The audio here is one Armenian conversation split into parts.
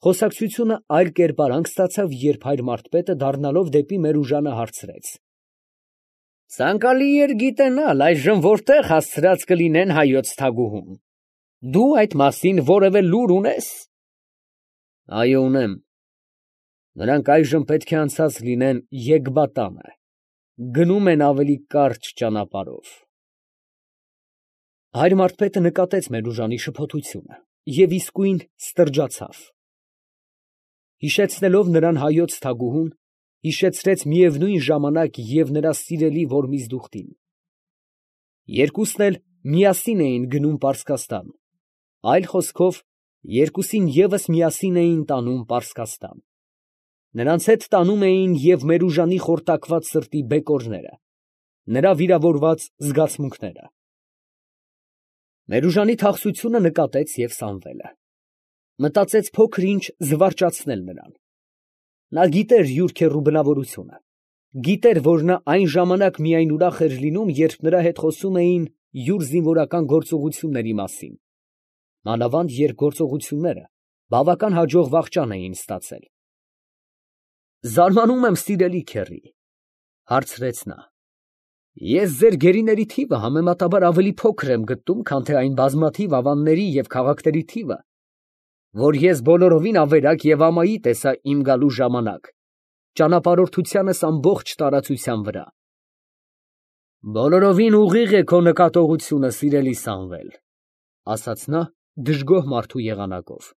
Խոսակցությունը այլ կերպարանք ստացավ, երբ հայր Մարդպետը դառնալով դեպի Մերուժանը հարցրեց. «Ցանկալի էր գիտենալ այժմ որտեղ հասցրած կլինեն հայոց թագուհուն. դու այդ մասին որևէ լուր ունե՞ս»։ «Այո, ունեմ. նրանք այժմ պետք է անցած լինեն Եգբատանը, գնում են ավելի կարճ ճանապարհով»։ Հայր Մարդպետը նկատեց Մերուժանի շփոթությունը և իսկույն ստրջացավ։ Հիշեցնելով նրան հայոց թագուհուն, հիշեցրեց միևնույն ժամանակ և նրա սիրելի Որմիզդուխտին։ Երկուսն էլ միասին էին գնում Պարսկաստան, այլ խոսքով, երկուսին ևս միասին էին տանում Պարսկաստան։ Նրանց հետ տանում էին և Մերուժանի խորտակված սրտի բեկորները, նրա վիրավորված զգացմունքները։ Մերուժանի թախծությունը նկատեց և Սամվելը։ Մտածեց փոքր ինչ զվարճացնել նրան։ Նա գիտեր յուր քեռու բնավորությունը, գիտեր, որ նա այն ժամանակ միայն ուրախ էր լինում, երբ նրա հետ խոսում էին յուր զինվորական գործողությունների մասին, մանավանդ երբ գործողությունները բավական հաջող վախճան էին ստացել։ «Զարմանում եմ, սիրելի քեռի, ֊ հարցրեց նա, ֊ ես ձեր գերիների թիվը համեմատաբար ավելի փոքր եմ գտնում, քան թե այն բազմաթիվ ավանների և քաղաքների թիվը, որ ես բոլորովին ավերակ և ամայի տեսա իմ գալու ժամանակ ճանապարհորդությանս ամբողջ տարածության վրա»։ «Բոլորովին ուղիղ է քո նկատողությունը, սիրելի Սամվել, ֊ ասաց նա դժգոհ մարդու եղանակով։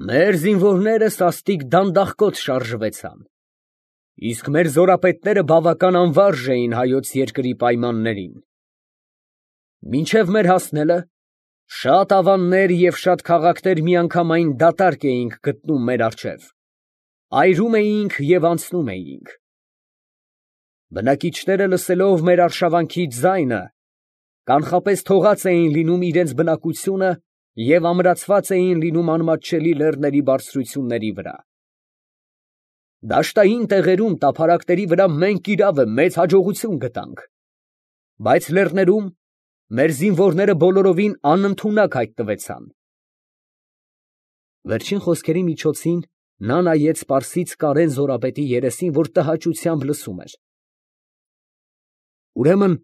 Մեր զինվորները սաստիկ դանդաղկոտ շարժվեցան, իսկ մեր զորապետները բավական անվարժ էին հայոց երկրի պայմաններին։ Մինչև մեր հասնելը շատ ավաններ և շատ քաղաքներ միանգամայն դատարկ էինք գտնում մեր առջև, այրում էինք և անցնում էինք։ Բնակիչները լսելով մեր արշավանքի ձայնը, կանխապես թողած էին լինում իրենց բնակությունը և ամրացված էին լինում անմատչելի լեռների բարձրությունների վրա։ Դաշտային տեղերում տափարակների վրա մենք իրավը մեծ հաջողություն գտանք, բայց լեռներում մեր զինվորները բոլորովին անընդունակ հայտնվեցան։ Վերջին խոսքերի միջոցին նա նայեց Պարսից Կարեն զորապետի երեսին, որ տհաճությամբ լսում էր։ «Ուրեմն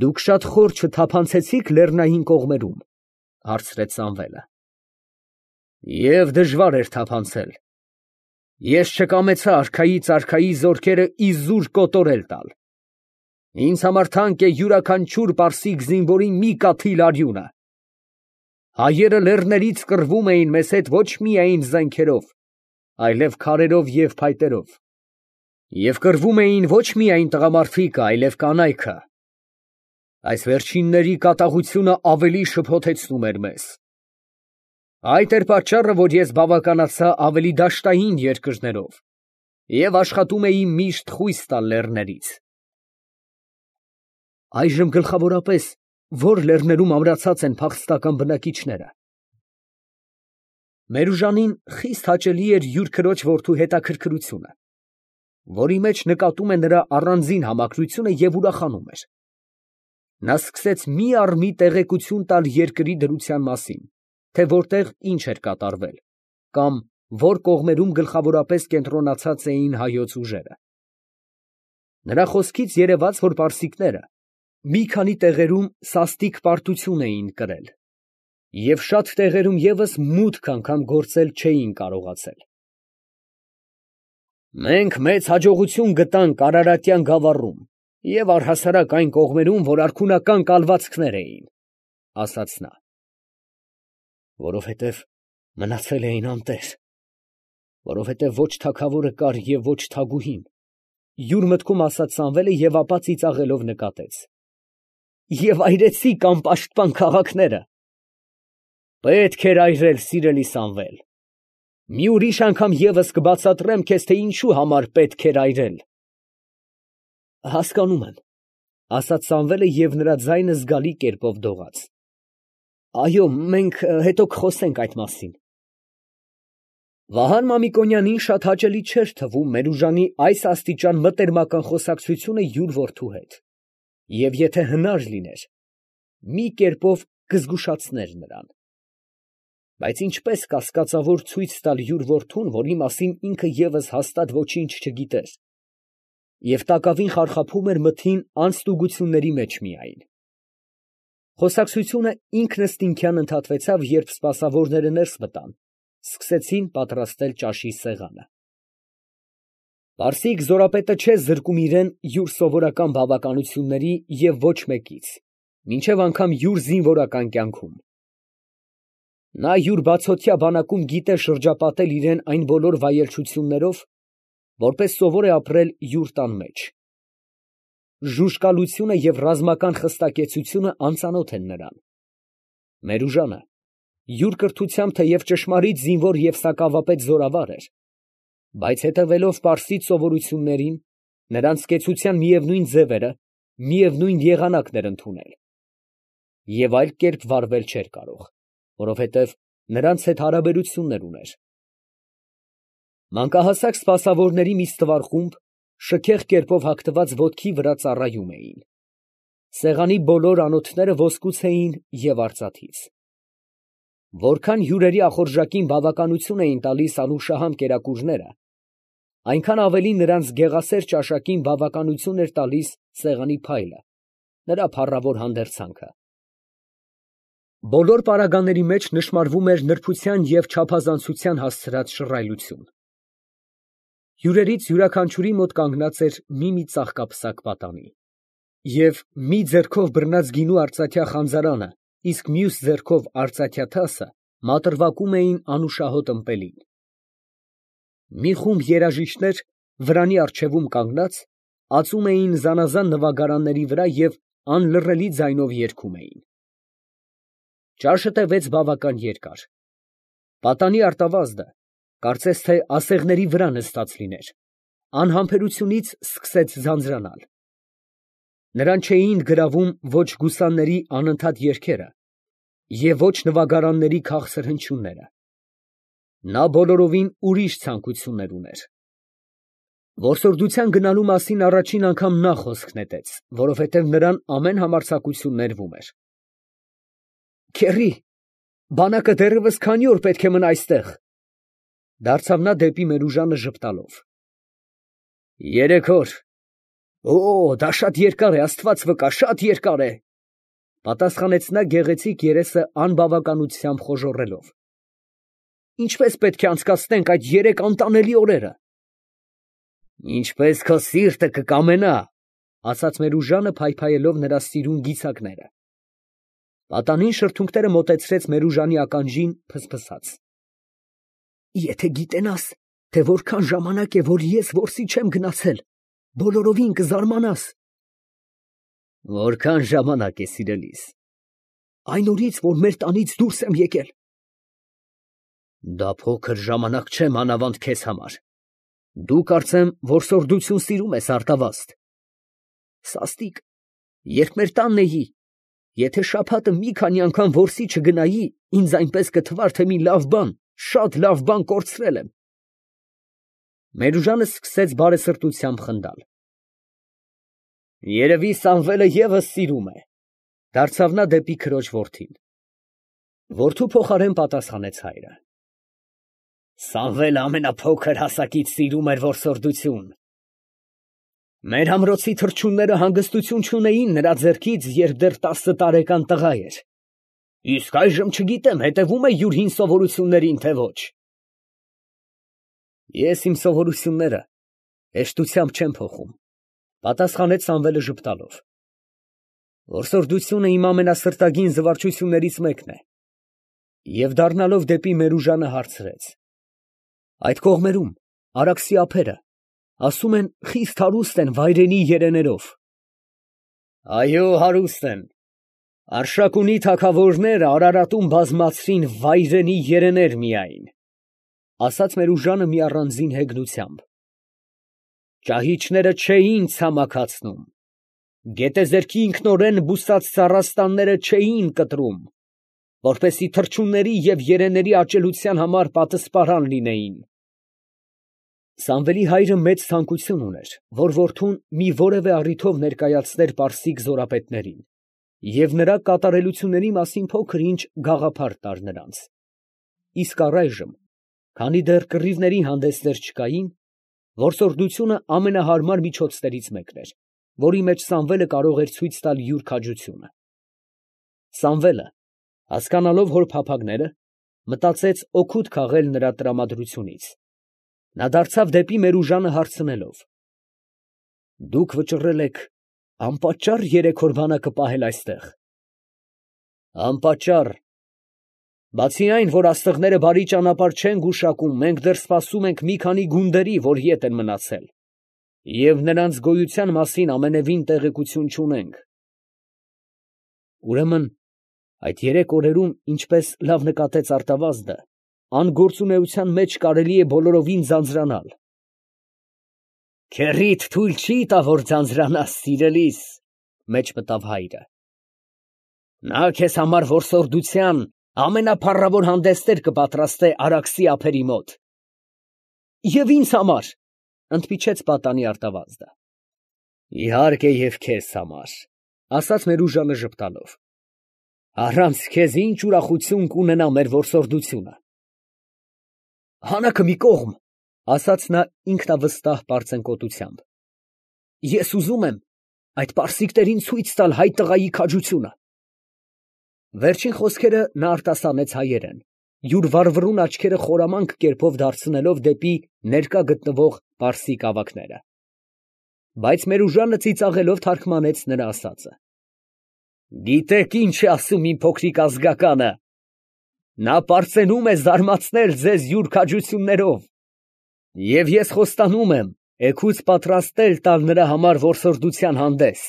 դուք շատ խոր չթափանցեցի՞ք լեռնային կողմերում, ֊ հարցրեց Սամվելը։ ֊ Եվ դժվար էր թափանցել. ես չկամեցա արքայից արքայի զորքերը իզուր կոտորել տալ. ինձ համար թանկ է յուրաքանչյուր պարսիկ զինվորի մի կաթիլ արյունը։ Հայերը լեռներից կռվում էին մեզ հետ ոչ միայն զենքերով, այլև քարերով և փայտերով, և կռվում էին ոչ միայն տղամարդիկը, այլև կանայքը։ Այս վերջինների կատաղությունը ավելի շփոթեցնում էր մեզ։ Այդ էր պատճառը, որ ես բավականացա ավելի դաշտային երկրներով և աշխատում էի միշտ խույս տալ լեռներից։ Այժմ գլխավորապես ո՞ր լեռներում ամրացած են փախստական բնակիչները։ Մերուժանին խիստ հաճելի էր յուր քրոջ որդու հետաքրքրությունը, որի մեջ նկատում է նրա առանձին համակրությունը և ուրախանում էր։ Նա սկսեց մի առ մի տեղեկություն տալ երկրի դրության մասին, թե որտեղ ինչ էր կատարվել, կամ որ կողմերում գլխավորապես կենտրոնացած էին հայոց ուժերը։ Նրա խոսքից երևաց, որ պարսիկները մի քանի տեղերում սաստիկ պարտություն էին կրել և շատ տեղերում ևս մուտք անգամ գործել չէին կարողացել։ Մենք մեծ հաջողություն գտանք Արարատյան գավառում և առհասարակ այն կողմերում, որ արքունական կալվածքներ էին, ֊ ասաց նա։ Որովհետև մնացել էին անտեր, որովհետև ոչ թագավորը կար և ոչ թագուհին, ֊ յուր մտքում ասաց Սամվելը և ապա ծիծաղելով նկատեց. և այրեցիք անպաշտպան քաղաքները։ Պետք էր այրել, սիրելի Սամվել, մի ուրիշ անգամ ևս կբացատրեմ քեզ, թե ինչու համար պետք էր այրել։ Հասկանում եմ, ֊ ասաց Սամվելը և նրա ձայնը զգալի կերպով դողաց։ Այո, մենք հետո կխոսենք այդ մասին։ Վահան Մամիկոնյանին շատ հաճելի չէր թվում Մերուժանի այս աստիճան մտերմական խոսակցությունը յուր որդու հետ, և եթե հնար լիներ, մի կերպով կզգուշացներ նրան։ Բայց ինչպես կասկածավոր ցույց տալ յուր որդուն, որի մասին ինքը ևս հաստատ ոչինչ չգիտեր, և տակավին խարխափում էր մթին անձտուգությունների մեջ միայն։ Խոսակցությունը ինքնըստինքյան ընդհատվեցավ, երբ սպասավորները ներս մտան, սկսեցին պատրաստել ճաշի սեղանը։ Պարսիկ զորապետը չէ զրկում իրեն յուր սովորական բավականությունների և ոչ մեկից, մինչև անգամ յուր զինվորական կյանքում։ Նա յուր բացօթյա բանակում գիտե շրջապատել իրեն այն բոլոր վայելչություններով, որպես սովոր է ապրել յուր տան մեջ։ Ժուժկալությունը և ռազմական խստակեցությունը անծանոթ են նրան։ Մերուժանը յուր կրթությամբ թեև ճշմարիտ զինվոր և սակավապետ զորավար էր, բայց հետևելով պարսից սովորություններին, նրանց կեցության միևնույն ձևերը, միևնույն եղանակն էր ընդունել և այլ կերպ վարվել չէր կարող, որովհետև նրանց հետ հարաբերություններ ուներ։ Մանկահասակ սպասավորների մի ստվար խումբ շքեղ կերպով հագնված ոտքի վրա ծառայում էին։ Սեղանի բոլոր անոթները ոսկուց էին և արծաթից։ Որքան հյուրերի ախորժակին բավականություն էին տալիս անուշահամ կերակուրները, այնքան ավելի նրանց գեղասեր ճաշակին բավականություն էր տալիս սեղանի փայլը, նրա փառավոր հանդերձանքը։ Բոլոր պարագաների մեջ նշմարվում էր նրբության և չափազանցության հասցրած շռայլություն։ Հյուրերից յուրաքանչյուրի մոտ կանգնած էր մի ծաղկապսակ պատանի, և մի ձեռքով բռնած գինու արծաթյա խանձարանը, իսկ մյուս ձեռքով արծաթյա թասը մատրվակում էին անուշահոտ ըմպելին։ Մի խումբ երաժիշտներ վրանի առջևում կանգնած, ածում էին զանազան նվագարանների վրա և անլռելի ձայնով երգում էին։ Ճաշը տևեց բավական երկար։ Պատանի արտավազդը, կարծես թե ասեղների վրա նստած լիներ, անհամբերությունից սկսեց ձանձրանալ։ Նրան չէին գրավում ոչ գուսանների անընդհատ երգերը և ոչ նվագարանների քաղցր հնչյունները։ Նա բոլորովին ուրիշ ցանկություններ ուներ։ Որսորդության գնալու մասին առաջին անգամ նա խոսք նետեց, որովհետև նրան ամեն համարձակություն ներվում էր։ Քեռի, բանակը դեռևս քանի օր պետք է մնա այստեղ, ֊ դարձավ նա դեպի Մերուժանը ժպտալով։ 3 օր։ Օ, դա շատ երկար է, աստված վկա, շատ երկար է, ֊ պատասխանեց նա գեղեցիկ երեսը անբավականությամբ խոժոռելով։ Ինչպես պետք է անցկացնենք այդ 3 անտանելի օրերը։ Ինչպես քո սիրտը կկամենա, ֊ ասաց Մերուժանը, փայփայելով նրա սիրուն գիցակները։ Պատանին շրթունքները մոտեցրեց Մերուժանի ականջին, փսփսաց։ Եթե գիտենաս, թե որքան ժամանակ է, որ ես որսի չեմ գնացել, բոլորովին կզարմանաս։ Որքան ժամանակ է, սիրելիս։ Այն օրից, որ մեր տանից դուրս եմ եկել։ Դա փոքր ժամանակ չէ մանավանդ քեզ համար։ Դու կարծեմ որսորդություն սիրում ես, արտավազդ։ Սաստիկ, երբ մեր տանն էի, եթե շաբաթը մի քանի անգամ որսի չգնայի, ինձ այնպես կթվար, թե մի լավ բան, շատ լավ բան կորցրել եմ։ Մերուժանը սկսեց բարեսրտությամբ խնդալ։ Երևի Սամվելը ևս սիրում է, ֊ դարձավ նա դեպի քրոջ որդին։ Որդու փոխարեն պատասխանեց հայրը։ Սամվելը ամենափոքր հասակից սիրում էր որսորդություն։ Մեր ամրոցի թռչունները հանգստություն չունեին նրա ձեռքից, երբ դեռ 10 տարեկան տղա էր։ Իսկ այժմ չգիտեմ, հետևում է յուր հին սովորություններին, թե ոչ։ Ես իմ սովորությունները հեշտությամբ չեմ փոխում, ֊ պատասխանեց Սամվելը ժպտալով։ Որսորդությունը իմ ամենասրտագին զվարճություններից մեկն է։ Եվ դառնալով դեպի Մերուժանը հարցրեց. Այդ կողմերում, Արաքսի ափերը, ասում են, խիստ հարուստ են վայրենի երեներով։ Այո, հարուստ են։ Արշակունի թագավորները Արարատում բազմացրին վայրենի երեներ միայն, ֊ ասաց Մերուժանը մի առանձին հեգնությամբ։ Ճահիճները չէին ցամաքացնում, գետեզերքի ինքնորեն բուսած ծառաստանները չէին կտրում, որպեսզի թռչունների և երեների աճելության համար պատսպարան լինեին։ Սամվելի հայրը մեծ ցանկություն ուներ, որ որդուն մի որևէ առիթով ներկայացներ պարսիկ զորապետներին և նրա կատարելությունների մասին փոքր ինչ գաղափար տար նրանց։ իսկ առայժմ, քանի դեռ կռիվների հանդեսներ չկային, որսորդությունը ամենահարմար միջոցներից մեկն էր, որի մեջ Սամվելը կարող էր ցույց տալ յուր քաջությունը։ Սամվելը, հասկանալով հոր փափագները, մտածեց օգուտ քաղել նրա տրամադրությունից։ Նա դարձավ դեպի Մերուժանը հարցնելով. «Դուք վճռել եք անպատճառ 3 օր բանակը պահել այստեղ»։ «Անպատճառ։ Բացի այն, որ աստղները բարի ճանապարհ չեն գուշակում, մենք դեռ սպասում ենք մի քանի գունդերի, որ ետ են մնացել, և նրանց գոյության մասին ամենևին տեղեկություն չունենք»։ Ուրեմն այդ 3 օրերում, ինչպես լավ նկատեց արտավազդը, անգործունեության մեջ կարելի է բոլորովին ձանձրանալ։ «Քեռիդ թույլ չի տա, որ ձանձրանաս, սիրելիս», մեջ մտավ հայրը։ «Նա քեզ համար որսորդության ամենափառավոր հանդեսներ կպատրաստե Արաքսի ափերի մոտ»։ «Եվ ինձ համար», ընդմիջեց պատանի արտավազդը։ «Իհարկե, և քեզ համար», ասաց Մերուժանը ժպտալով։ «Առանց քեզ ինչ ուրախություն կունենա մեր որսորդությունը»։ «Հանակը մի կողմ», ասաց նա ինքնավստահ պարծենկոտությամբ, «ես ուզում եմ այդ պարսիկներին ցույց տալ հայ տղայի քաջությունը»։ Վերջին խոսքերը նա արտասանեց հայերեն, յուր վառվռուն աչքերը խորամանկ կերպով դարձնելով դեպի ներկա գտնվող պարսիկ ավագները։ Բայց Մերուժանը ծիծաղելով թարգմանեց նրա ասածը։ «Գիտեք ինչ է ասում իմ փոքրիկ ազգականը. նա պարծենում է զարմացնել ձեզ յուր քաջություններով, և ես խոստանում եմ էգուց պատրաստել տալ նրա համար որսորդության հանդես»։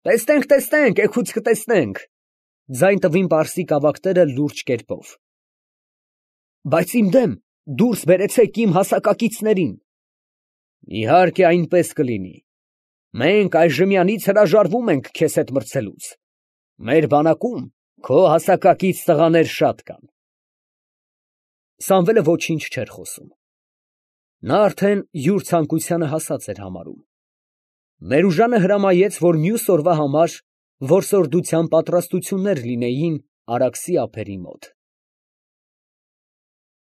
«Տեսնենք, տեսնենք, էգուց կտեսնենք», ձայն տվին պարսիկ ավագները լուրջ կերպով։ «Բայց իմ դեմ դուրս բերեցեք իմ հասակակիցներին»։ «Իհարկե այնպես կլինի. մենք այժմյանից հրաժարվում ենք քեզ հետ մրցելուց. մեր բանակում քո հասակակից տղաներ շատ կան»։ Սամվելը ոչինչ չէր խոսում. նա արդեն յուր ցանկությանը հասած էր համարում։ Մերուժանը հրամայեց, որ մյուս օրվա համար որսորդության պատրաստություններ լինեին Արաքսի ափերի մոտ։